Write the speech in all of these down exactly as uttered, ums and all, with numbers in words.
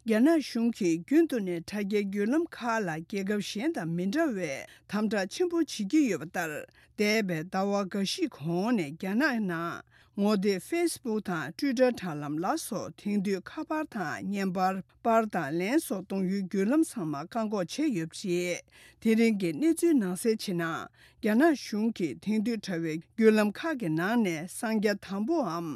རྒྱ་ནག་གཞུང་གིས་རྒྱུན་དུ་ནས་དྲ་རྒྱའི་བརྒྱུད་ལམ་ཁག་ལ་རྒྱལ་ཁབ་གཞན་དང་མི་འདྲ་བའི་དམ་དྲག་ཆེན་པོ་བྱེད་ཀྱི་ཡོད་པ་ལྟར། འདས་པའི་ཟླ་བ་འགའ་ཞིག་གོང་ནས་རྒྱ་ནག་ནང་ངོ་དེབ་ཕེ་སི་བུག་དང་ཊུའི་ཊར་དྲ་ལམ་ལ་སོགས་དེང་དུས་ཁ་པར་དང་བརྙན་པར་པར་དང་ལན་སོགས་གཏོང་ཡུལ་བརྒྱུད་ལམ་ཚང་མ་བཀག་འགོག་བྱས་ཡོད་པ་རེད། དེ་རིང་གི་གནས་ཚུལ་ནང་གསལ་བྱས་ན། རྒྱ་ནག་གཞུང་གིས་དེང་དུས་དྲ་བའི་བརྒྱུད་ལམ་ཁག་གི་ནང་ནས་གསང་རྒྱ་དམ་པོའམ་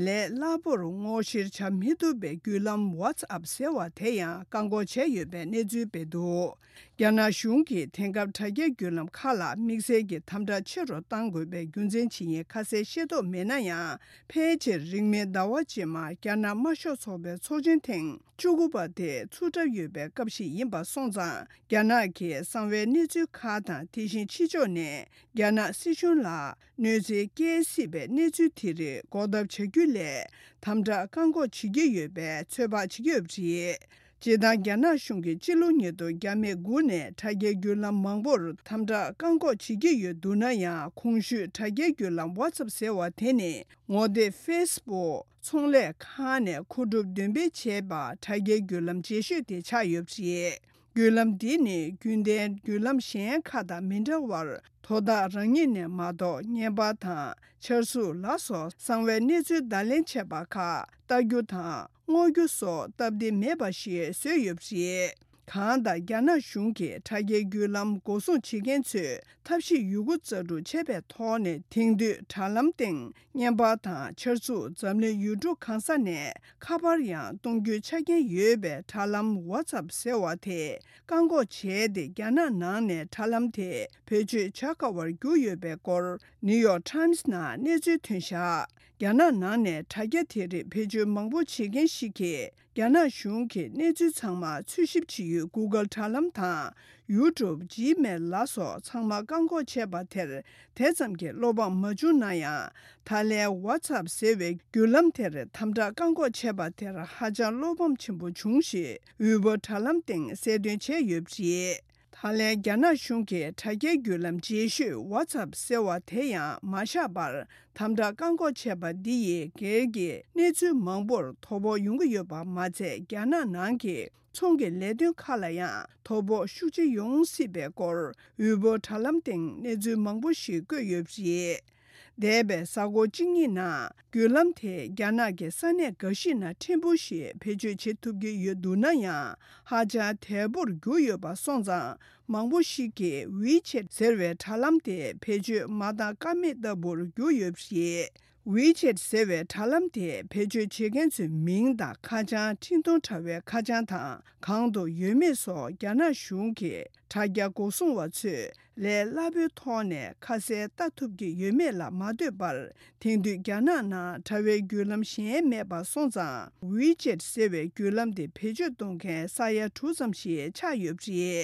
ལས་སླ་པོར་སྔོག་བཤེར་བྱ་མི་ཐུབ་པའི་བརྒྱུད་ལམ་ཝ་ཚ་ཨབ་ཟེར་བ་དེ་ཡང་བཀག་འགོག་བྱས་ཡོད་པའི་གནས་ཚུལ་སྤེལ་འདུག་རྒྱ་ནག་གཞུང་གིས་དེང་སྐབས་དྲ་རྒྱའི་བརྒྱུད་ལམ་ཁག་ལ་དམིགས་བསལ་གྱི་དམ་དྲག་ཆེ་རུ་གཏང་དགོས་པའི་རྒྱུ་མཚན་ཇི་ཡིན་ཁ་གསལ་ཤེས་རྟོགས་མེད་ན་ཡང་། ཕལ་ཆེར་རིང་མིན་ཟླ་བ་རྗེས་མར་རྒྱ་ནག་དམར་ཤོག་ཚོགས་པའི་ཚོགས་ཆེན་ཐེངས་བཅུ་དགུ་པ་དེ་ཚུགས་གྲབས་ཡོད་པའི་སྐབས་ཤིག་ཡིན་པ་སོང་ཙང་། རྒྱ་ནག་གི་གསང་བའི་གནས་ཚུལ་ཁག་དང་། དེ་བཞིན་ཕྱི་ཕྱོགས་ནས་རྒྱ་ནག་སྲིད་གཞུང་ལ་གནོད་འཚེ་སྐྱེལ་སྲིད་པའི་གནས་ཚུལ་དེ་རིགས་འགོག་ཐབས་བྱ་རྒྱུ་ལས་དམ་དྲག་བཀག་འགོག་བྱེད་ཀྱི་ཡོད་པའི་ཚོད་དཔག་བྱེད་ཀྱི་ཡོད་པ་རེད། སྤྱིར་བཏང་རྒྱ་ནག་གཞུང་གིས་སྤྱི་ལོ་ཉིས་སྟོང་བརྒྱ་མེད་དགུ་ནས་དྲ་རྒྱའི་བརྒྱུད་ལམ་མང་པོར་དམ་དྲག་བཀག་འགོག་བྱེད་ཀྱི་ཡོད་འདུག་ན་ཡང་། གོང་ཞུས་དྲ་རྒྱའི་བརྒྱུད་ལམ་ཝ་ཚ་ཨབ་ཟེར་བ་དེ་ནི་ངོ་དེབ་ཕེ་སི་བུག་ཚོང་ལས་ཁང་ནས་མཁོ་སྒྲུབ་འདོན་སྤེལ་བྱས་པ་དྲ་རྒྱའི་བརྒྱུད་ལམ་རྗེས་ཤོས་དེ་ཆགས་ཡོད་པ་རེད། བརྒྱུད་ལམ་འདི་ནི་རྒྱུན་ལྡན་བརྒྱུད་ལམ་གཞན་ཁག་དང་མི་འདྲ་བར། དོ་བདག་རང་ཉིད་ནས་མ་གཏོགས་བརྙན་པར་དང་འཆར་གཟུགས་ལ་སོགས་གསང་བའི་གནས་ཚུལ་བརྡ་ལེན་བྱས་པ་ཁག་ལྟ་རྒྱུ་དང་སྔོག་རྒྱུ་སོགས་སྟབས་བདེ་མེད་པ་ཞིག་བཟོས་ཡོད་པ་རེད། གང་ལྟར་རྒྱ་ནག་གཞུང་གིས་དྲ་རྒྱའི་བརྒྱུད་ལམ་འགོག་སྲུང་བྱེད་མཁན་ཚོས་ཐབས་ཤེས་ཡོད་རྒུ་རྩལ་སྤྲུགས་བྱས་པའི་ཐོག་ནས་དེང་དུས་དྲ་ལམ་སྟེང་བརྙན་པར་དང་འཆར་གཟུགས་འཛམ་གླིང་ཡུལ་གྲུ་གང་ས་ནས་ཁ་པར་ཡང་གཏོང་རྒྱུའི་ཆ་རྐྱེན་ཡོད་པའི་དྲ་ལམ་ཝ་ཚ་ཨབ་ཟེར་བ་དེ་བཀག་འགོག་བྱས་ཏེ། རྒྱ་ནག་ནང་ནས་དྲ་ལམ་དེ་བེད་སྤྱོད་བྱ་དཀའ་བར་གྱུར་ཡོད་པའི་སྐོར་ནིའུ་ཡོག་ཊའིམ་སི་ནང་གནས་ཚུལ་ཐོན་བཞག་རྒྱ་ནག་ནང་ནས་དྲ་རྒྱ་དེ་རིགས་བེད་སྤྱོད་མང་པོ་བྱེད་མཁན་ཞིག་གིས། རྒྱ་ནག་གཞུང་གིས་གནས་ཚུལ་ཚང་མ་འཚོལ་ཞིབ་བྱེད་ཡུལ་གུ་གལ་དྲ་ལམ་དང་། ཡུ་ཊུབ། ཇི་མེལ་ལ་སོགས་ཚང་མ་བཀག་འགོག་བྱས་པ་དེར་དེ་ཙམ་གྱི་བློ་ཕམ་མ་བྱུང་ན་ཡང་། ད་ལན་ཝ་ཚ་ཨབ་ཟེར་བའི་བརྒྱུད་ལམ་དེར་དམ་དྲག་བཀག་འགོག་བྱས་པ་དེར་ཧ་ཅང་བློ་ཕམ་ཆེན་པོ་བྱུང་ཞེས་ཝེ་པོ་དྲ་ལམ་སྟེང་གསལ་སྟོན་བྱས་ཡོད་པ་རེད། ད་ལན་རྒྱ་ནག་གཞུང་གིས་དྲ་རྒྱའི་བརྒྱུད་ལམ་རྗེས་ཤོས་ཝ་ཚ་ཨབ་ཟེར་བ་དེ་ཡང་མ་བཞག་པར། དམ་དྲག་བཀག་འགོག་བྱས་པ་འདི་ཡིས་སྒེར་གྱི་གནས་ཚུལ་མང་པོར་དོ་ཕོག་ཡོང་གི་ཡོད་པ་མ་ཚད། རྒྱ་ནག་ནང་གི་ཚོང་གི་ལས་དོན་ཁག་ལ་ཡང་དོ་ཕོག་ཤུགས་ཆེ་ཡོང་སྲིད་པའི་སྐོར་ཝེ་པོ་དྲ་ལམ་སྟེང་གནས་ཚུལ་མང་པོ་ཞིག་བཀོད་ཡོད་པ་རེད། འདས་པའི་གཟའ་འཁོར་གཅིག་གཉིས་ནང་བརྒྱུད་ལམ་དེས་རྒྱ་ནག་གི་ས་གནས་འགའ་ཞིག་ནང་ཕྲན་བུ་ཞིག་བེད་སྤྱོད་བྱེད་ཐུབ་ཀྱི་ཡོད་འདུག་ན་ཡང་། ཧ་ཅང་དལ་པོར་གྱུར་ཡོད་པ་སོང་ཙང་། མང་པོ་ཞིག་གིས་ཝི་ཆེད་ཟེར་བའི་དྲ་ལམ་དེ་བེད་སྤྱོད་མ་བཏང་ཀ་མེད་ལྟ་བུར་གྱུར་ཡོད་པ་རེད། ཝི་ཆེད་ཟེར་བའི་དྲ་ལམ་དེ་བེད་སྤྱོད་བྱེད་མཁན་ཚོའི་མིང་དང་ཁ་བྱང་། འཕྲིན་གཏོང་དྲ་བའི་ཁ་བྱང་དང་གང་དུ་ཡོད་མེད་སོགས་རྒྱ་ནག་གཞུང་གི་དྲ་རྒྱ་འགོག་སྲུང་བ་ཚོས་ལས་སླ་པོའི་ཐོག་ནས་ཁ་གསལ་ལྟ་ཐུབ་ཀྱི་ཡོད་མེད་ལ་མ་ལྟོས་པར། དེང་དུས་རྒྱ་ནག་ནང་དྲ་བའི་བརྒྱུད་ལམ་གཞན་མེད་པ་སོང་ཙང་། ཝི་ཆེད་ཟེར་བའི་བརྒྱུད་ལམ་དེ་བེད་སྤྱོད་གཏོང་མཁན་ས་ཡ་དྲུག་ཙམ་ཞིག་ཆགས་ཡོད་པ་རེད།